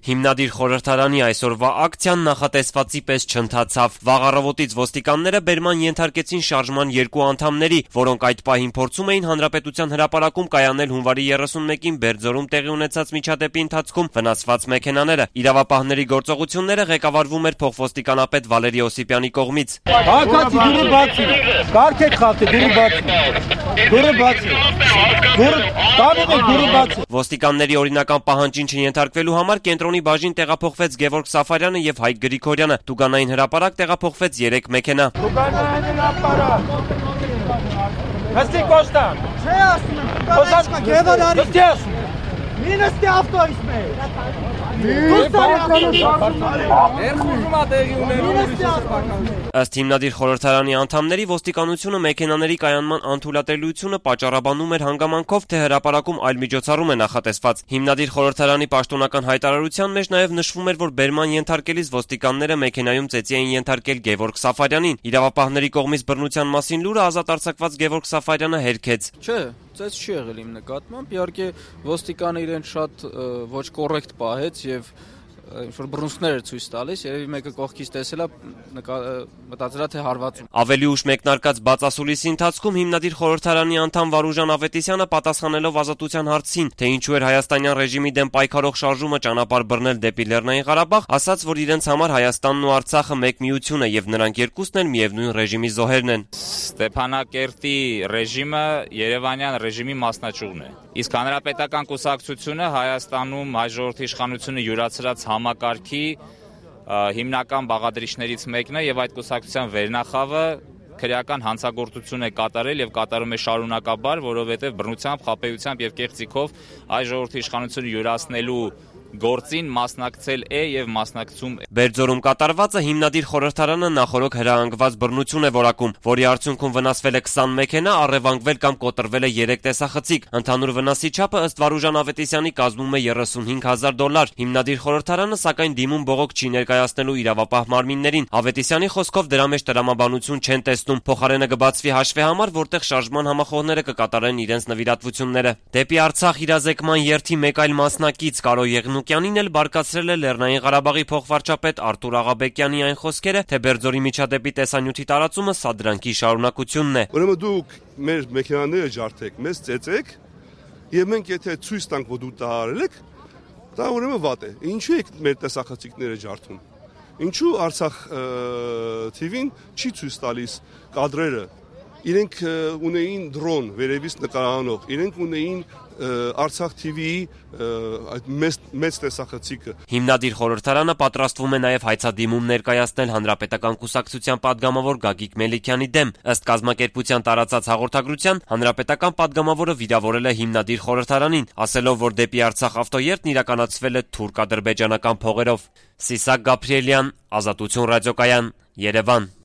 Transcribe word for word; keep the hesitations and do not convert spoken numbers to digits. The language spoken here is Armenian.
Հիմնադիր խորհրդարանի այսօրվա ակցիան նախատեսվածի պես չընթացավ։ Վաղ առավոտից ոստիկանները բերման ենթարկեցին շարժման երկու անդամների, որոնք այդ պահին փորձում էին Հանրապետության հրապարակում կայանել հունվարի երեսունմեկին Բերձորում տեղի ունեցած միջադեպի ընթացքում վնասված մեքենաները։ Իրավապահների գործողությունները ղեկավարվում էր փոխոստիկանապետ Վալերի Օսիպյանի կողմից։ Հակացի դուրը բացի, կարգեք խախտի դուրը բացի, դուրը բացի, դուրը տանուք դուրը բացի։ Ոստիկանների օրինական պահանջին չենթարկվելու համար կենտրոնի բաժին տեղափոխվեց Գևորգ Սաֆարյանը եւ Հայկ Գրիգորյանը։ Տուգանային հրապարակ տեղափոխվեց երեք մեքենա։ Տուգանային հրապարակ։ Հստի Կոստան։ Չէ ասում եմ։ Կոստան Գևորգյանի։ Հստի ասում եմ։ Մինստի ավտոյից մեր։ Ըստ հիմնադիր խորհրդարանի անդամների ոստիկանությունը մեքենաների կայանման անթույլատրելիությունը պատճառաբանում էր հանգամանքով, թե հրապարակում այլ միջոցառում է նախատեսված։ Հիմնադիր խորհրդարանի պաշտոնական հայտարարության մեջ նաև նշվում էր, որ բերման ենթարկելիս ոստիկանները մեքենայում ծեծի էին ենթարկել Գևորգ Սաֆարյանին։ Իրավապահների կողմից բռնության մասին լուրը ազատ արձակված Գևորգ Սաֆարյանը հերքեց։ Չէ, ծեծ չի եղել իմ նկատմամբ, իհարկե ոստիկանը իրեն շատ ոչ կոռեկտ պահեց եւ ինչ-որ բռունցքներ էր ցույց տալիս, երևի մեկը կողքից տեսել է, մտածել է թե հարվածում։ Ավելի ուշ մեկնարկած բացասուլիսի ընթացքում հիմնադիր խորհրդարանի անդամ Վարուժան Ավետիսյանը պատասխանելով Ազատության հարցին, թե ինչու էր հայաստանյան ռեժիմի դեմ պայքարող շարժումը ճանապարհ բռնել դեպի Լեռնային Ղարաբաղ, ասաց, որ իրենց համար Հայաստանն ու Արցախը մեկ միություն է եւ նրանք երկուսն էլ միևնույն ռեժիմի զոհերն են։ Ստեփանակերտի ռեժիմը Երևանյան ռեժիմի մասնաճյուղն է։ Իսկ հանրապետական կուսակցությունը Հայաստանում հայ ժողովրդի իշխանությունը յուրացրած համակարգի հիմնական բաղադրիչներից մեկն է եւ այդ կուսակցության վերնախավը քրեական հանցագործություն է կատարել եւ կատարում է շարունակաբար, որովհետեւ բռնությամբ, խաբեությամբ եւ կեղծիքով հայ ժողովրդի իշխանությունը յուրացնելու գործին մասնակցել է եւ մասնակցում է։ Բերձորում կատարվածը հիմնադիր խորհրդարանը նախորոք հրահանգված բռնություն է որակում, որի արդյունքում վնասվել է քսան մեքենա, առևանգվել կամ կոտրվել է երեք տեսախցիկ։ Ընդհանուր վնասի չափը ըստ Վարուժան Ավետիսյանի կազմում է երեսունհինգ հազար դոլար։ Հիմնադիր խորհրդարանը սակայն դիմում բողոք չի ներկայացնելու իրավապահ մարմիններին։ Ավետիսյանի խոսքով դրա մեջ տրամաբանություն չեն տեսնում, փոխարենը կբացվի հաշվի համար, որտեղ շարժման համախոհները կկատարեն իրենց նվիրատվությունները։ Դեպի Արցախ իրազեկման երթի մեկ այլ մասնակից Կարո Եղնուկյանին էլ բարկացրել է Լեռնային Ղարաբաղի փոխվարչապետ Արտուր Աղաբեկյանի այն խոսքերը, թե Բերձորի միջադեպի տեսանյութի տարածումը սա դրանքի շարունակությունն է։ Ուրեմն դուք մեր մեքենաները ջարդեք, մեզ ծեծեք, եւ մենք եթե ցույց տանք, որ դու դա արել եք, դա ուրեմն վատ է։ Ինչու եք մեր տեսախցիկները ջարդում։ Ինչու Արցախ թիվին չի ցույց տալիս կադրերը։ Իրենք ունեին դրոն վերևից նկարանող, իրենք ունեին Արցախ թիվիի մեծ մեծ տեսախցիկը։ Հիմնադիր խորհրդարանը պատրաստվում է նաև հայցադիմում ներկայացնել հանրապետական կուսակցության падգամավոր Գագիկ Մելիքյանի դեմ։ Ըստ կազմակերպության տարածած հաղորդագրության, հանրապետական падգամավորը վիրավորել է հիմնադիր խորհրդարանին, ասելով, որ դեպի Արցախ ավտոերթն իրականացվել է թուրք-ադրբեջանական փողերով։ Սիսակ Գաբրիելյան, Ազատություն ռադիոկայան, Երևան։